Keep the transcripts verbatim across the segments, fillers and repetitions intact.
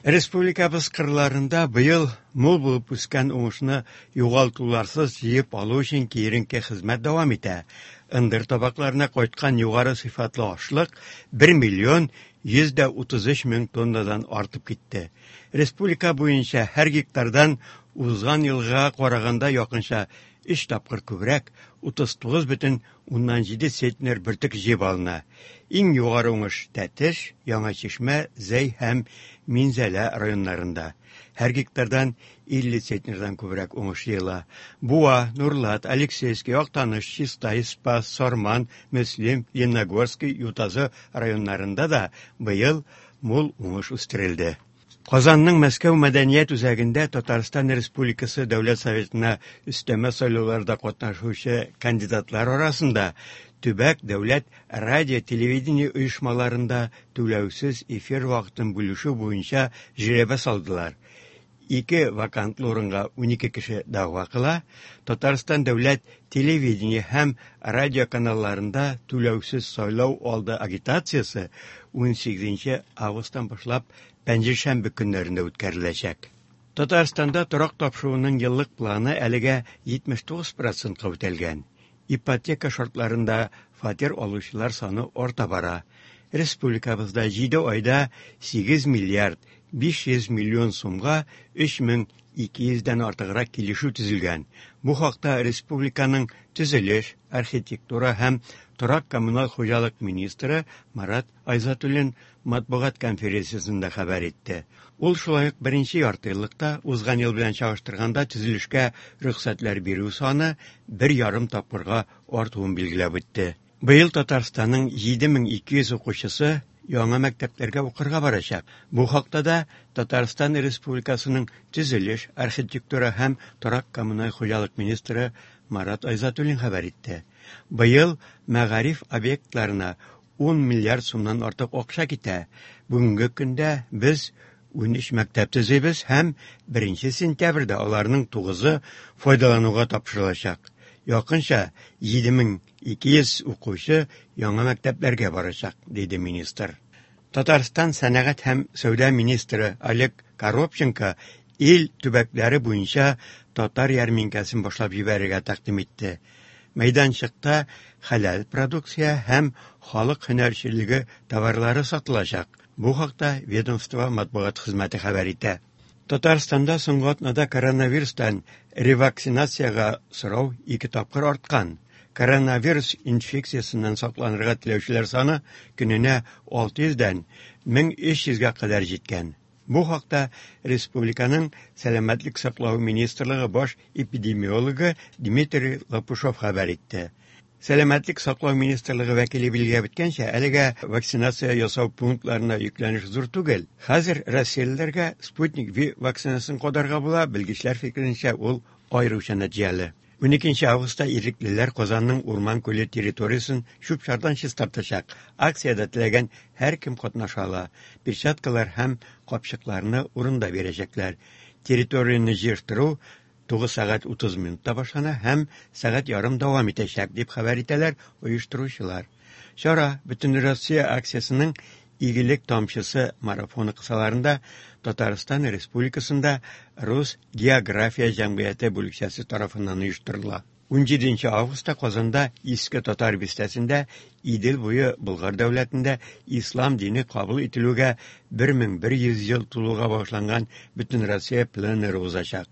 Республикабыз кырларында быел мул булып үскән уңышны югалтуларсыз җыеп алу өчен киеренке хезмәт дәвам итә. Ындыр табакларына кайткан югары сыйфатлы ашлык бер миллион йөз дә утыз өч мең тоннадан артып китте. Республика буенча һәр гектардан узган елга караганда якынча өч тапкыр күбрәк, утыз тугыз бөтен уннан җиде центнер бөртек җыеп алына. Иң югары уңыш Тәтеш, Яңа Чишмә, Зәй һәм Минзәлә районнарында. Һәр гектардан илле центнердан күбрәк уңыш җыела. Буа, Нурлат, Алексеевский, Актаныш, Чистай, Спас, Сарман, Мөслим, Лениногорский, Ютазы районнарында да быел мул уңыш үстерелде. Казанның Мәскәү мәдәният үзәгендә Татарстан Республикасы Дәүләт Советына өстәмә сайлауларда катнашучы кандидатлар арасында төбәк дәүләт радио телевидение оешмаларында түләүсез эфир вакытын бүлешү буенча жребий салдылар. Ике вакантлы урынга унике кеше дәгъва кыла. Татарстан дәүләт телевидение һәм радио каналларында түләүсез сайлау алды агитациясе унсигезенче августтан башлап пәнҗешәмбе көннәрендә үткәреләчәк. Татарстанда торак тапшыруның еллык планы әлегә җитмеш тугыз процентка үтәлгән. Ипотека шартларында фатир алучылар саны арта бара. Республикабызда җиде айда сигез миллиард биш йөз миллион сумга өч мең ике йөздән артыграк килешү төзелгән. Бу хакта республиканың төзелеш, архитектура һәм торак коммуналь хуҗалык министры Марат Айзатуллин матбугат конференциясендә хәбәр итте. Ул шулай ук беренче ярты еллыкта узган ел белән чагыштырганда төзелешкә рөхсәтләр бирү саны бер ярым тапкырга артуын билгеләп үтте. Быел Татарстанның җиде мең ике йөз укучысы яңа мәктәпләргә укырга барачак. Бу хакта да Татарстан Республикасының төзелеш, архитектура һәм торак коммуналь хуҗалык министры Марат Айзатуллин хәбәр итте. Быел мәгариф объектларына ун миллиард сумнан артык акча китә. Бүгенге көндә без унөч мәктәп төзибез һәм беренче сентябрьдә аларның тугызы файдалануга тапшырылачак. Якынча җиде мең ике йөз укучы яңа мәктәпләргә барачак, диде министр. Татарстан сәнәгать һәм сәүдә министры Олег Коробченко ил төбәкләре буенча татар ярминкәсен башлап җибәрергә тәкъдим итте. Мәйданчыкта хәләл продукция һәм халык һөнәрчелеге товарлары сатылачак. Бу хакта ведомство матбугат хезмәте хәбәр итә. Татарстанда соңгы атнада коронавирустан ревакцинациягә сорау ике тапкыр арткан. Коронавирус инфекциясеннән сакланырга теләүчеләр саны көненә алты йөздән мең өч йөзгә кадәр җиткән. Бу хакта республиканың Сәламәтлек саклау министрлыгы баш эпидемиологы Дмитрий Лопушов хәбәр итте. Сәламәтлек саклау министрлыгы вәкиле билгеләп үткәнчә, әлегә вакцинация ясау пунктларына йөкләнеш зур түгел. Хәзер россиялеләргә Спутник V вакцинасын кадарга була, белгечләр фикеренчә, ул аеруча нәтиҗәле. Уникенче августта иреклеләр Казанның Урман күле территориясен чүп-чардан чистартачак. Акциядә теләгән һәркем катнаша ала. Перчаткалар һәм капчыкларны урында бирәчәкләр. Территорияне җыештыру тугыз сәгать утыз минутта башлана һәм сәгать ярым дәвам итәчәк, дип хәбәр итәләр оештыручылар. Чара Бөтенроссия акциясенең Игелек тамчысы марафоны кысаларында Татарстан Республикасында Рус география җәмгыяте бүлекчәсе тарафыннан оештырыла. Унҗиденче августта Казанда Иске Татар бистәсендә Идел буе Болгар дәүләтендә ислам дине кабул ителүгә бер мең бер йөз ел тулуга багышланган Бөтенроссия пленэры узачак.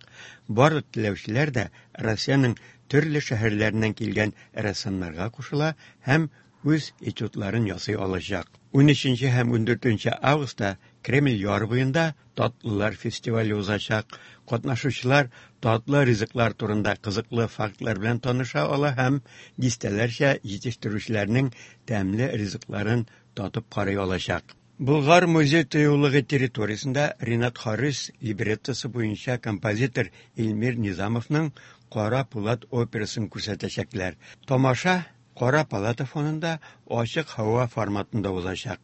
Барлык теләүчеләр дә Россиянең төрле шәһәрләреннән килгән рәссамнарга кушыла һәм үз этюдларын ясый алачак. Унөченче һәм ундүртенче августта Кремль яр буенда татлылар фестивале узачак. Катнашучылар татлы ризыклар турында кызыклы фактлар белән таныша ала һәм дистәләрчә җитештерүчеләрнең тәмле ризыкларын татып карый алачак. Болгар музей тыюлыгы территориясендә Ренат Харис либреттосы буенча композитор Эльмир Низамовның Кара Пулат операсын күрсәтәчәкләр. Тамаша Кара палата фонында ачык һава форматында узачак.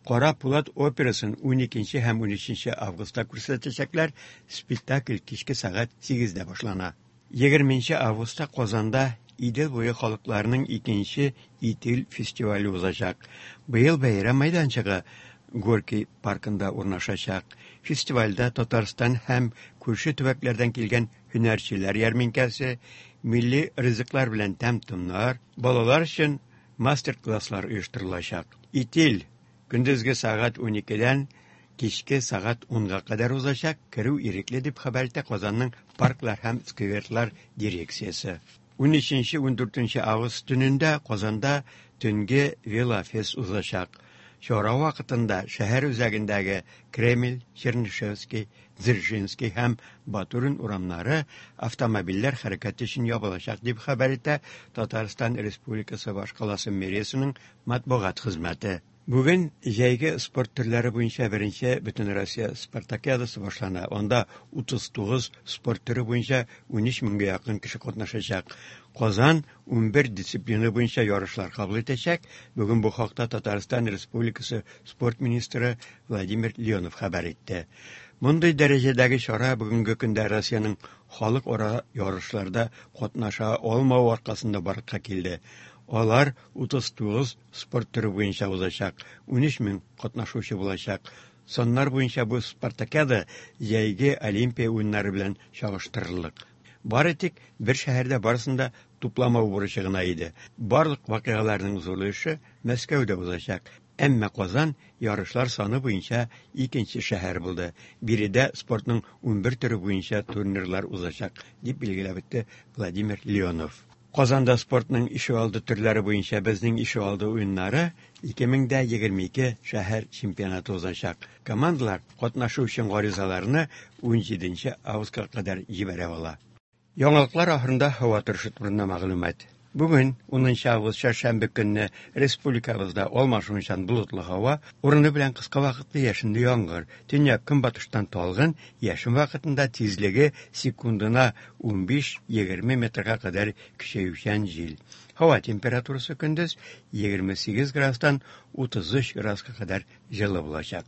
Кара Пулат операсын уникенче һәм унөченче августта күрсәтәчәкләр. Спектакль кичке сәгать сигездә башлана. Егерменче августта Казанда Идел буе халыкларының икенче Итил фестивале узачак. Быел бәйрәм мәйданчыгы Горький паркында урнашачак. Фестивальдә Татарстан һәм күрше төбәкләрдән килгән һөнәрчеләр ярминкәсе, милли ризыклар белән тәм-томнар, балалар өчен мастер-класслар оештырылачак. Итил көндезге сәгать уникедән кичке сәгать унга кадәр узачак, керү ирекле дип хәбәр итә Казанның парклар һәм скверлар дирекциясе. Унөченче-ундүртенче август төнендә Казанда төнге велофест узачак. Чара вакытында шәһәр үзәгендәге Кремль, Чернышевский, Дзержинский һәм Батурин урамнары автомобильләр хәрәкәте өчен ябылачак дип хәбәр итә Татарстан Республикасы башкаласы мэриясенең матбугат хезмәте. Бүген җәйге спорт төрләре буенча беренче Бөтенроссия спартакиадасы башлана. Анда утыз тугыз спорт төре буенча унөч меңгә якын кеше катнашачак. Казан унбер дисциплина буенча ярышлар кабул итәчәк. Бүген бу хакта Татарстан Республикасы спорт министры Владимир Леонов хәбәр итте. Мондый дәрәҗәдәге чара бүгенге көндә Россиянең халыкара ярышларда катнаша алмавы аркасында барлыкка килде. Алар утыз тугыз спорт төре буенча узачак, унөч мең катнашучы булачак. Саннар буенча бу спартакиада җәйге Олимпия уеннары белән чагыштырырлык. Бары тик бер шәһәрдә барысын да тупламау бурычы гына иде. Барлык вакыйгаларның зур өлеше Мәскәүдә узачак. Әмма Казан ярышлар саны буенча икенче шәһәр булды. Биредә спортның унбер төре буенча турнирлар узачак, дип билгеләп үтте Владимир Леонов. Казанда спортның ишегалды төрләре буенча безнең ишегалды уеннары ике мең дә егерме ике шәһәр чемпионаты узачак. Командалар катнашу өчен гаризаларны унҗиденче августка кадәр җибәрә ала. Яңалыклар ахырында һава торышы турында мәгълүмат. Бүген унынчы август чәршәмбе көнне республикабызда алмашынучан болытлы һава, урыны белән кыска вакытлы яшенле яңгыр, төньяк көнбатыштан талгын, яшен вакытында тизлеге секундына унбиш-егерме метрга кадәр көчәючән җил. Һава температурасы көндез егерме сигез градустан утыз өч градуска кадәр җылы булачак.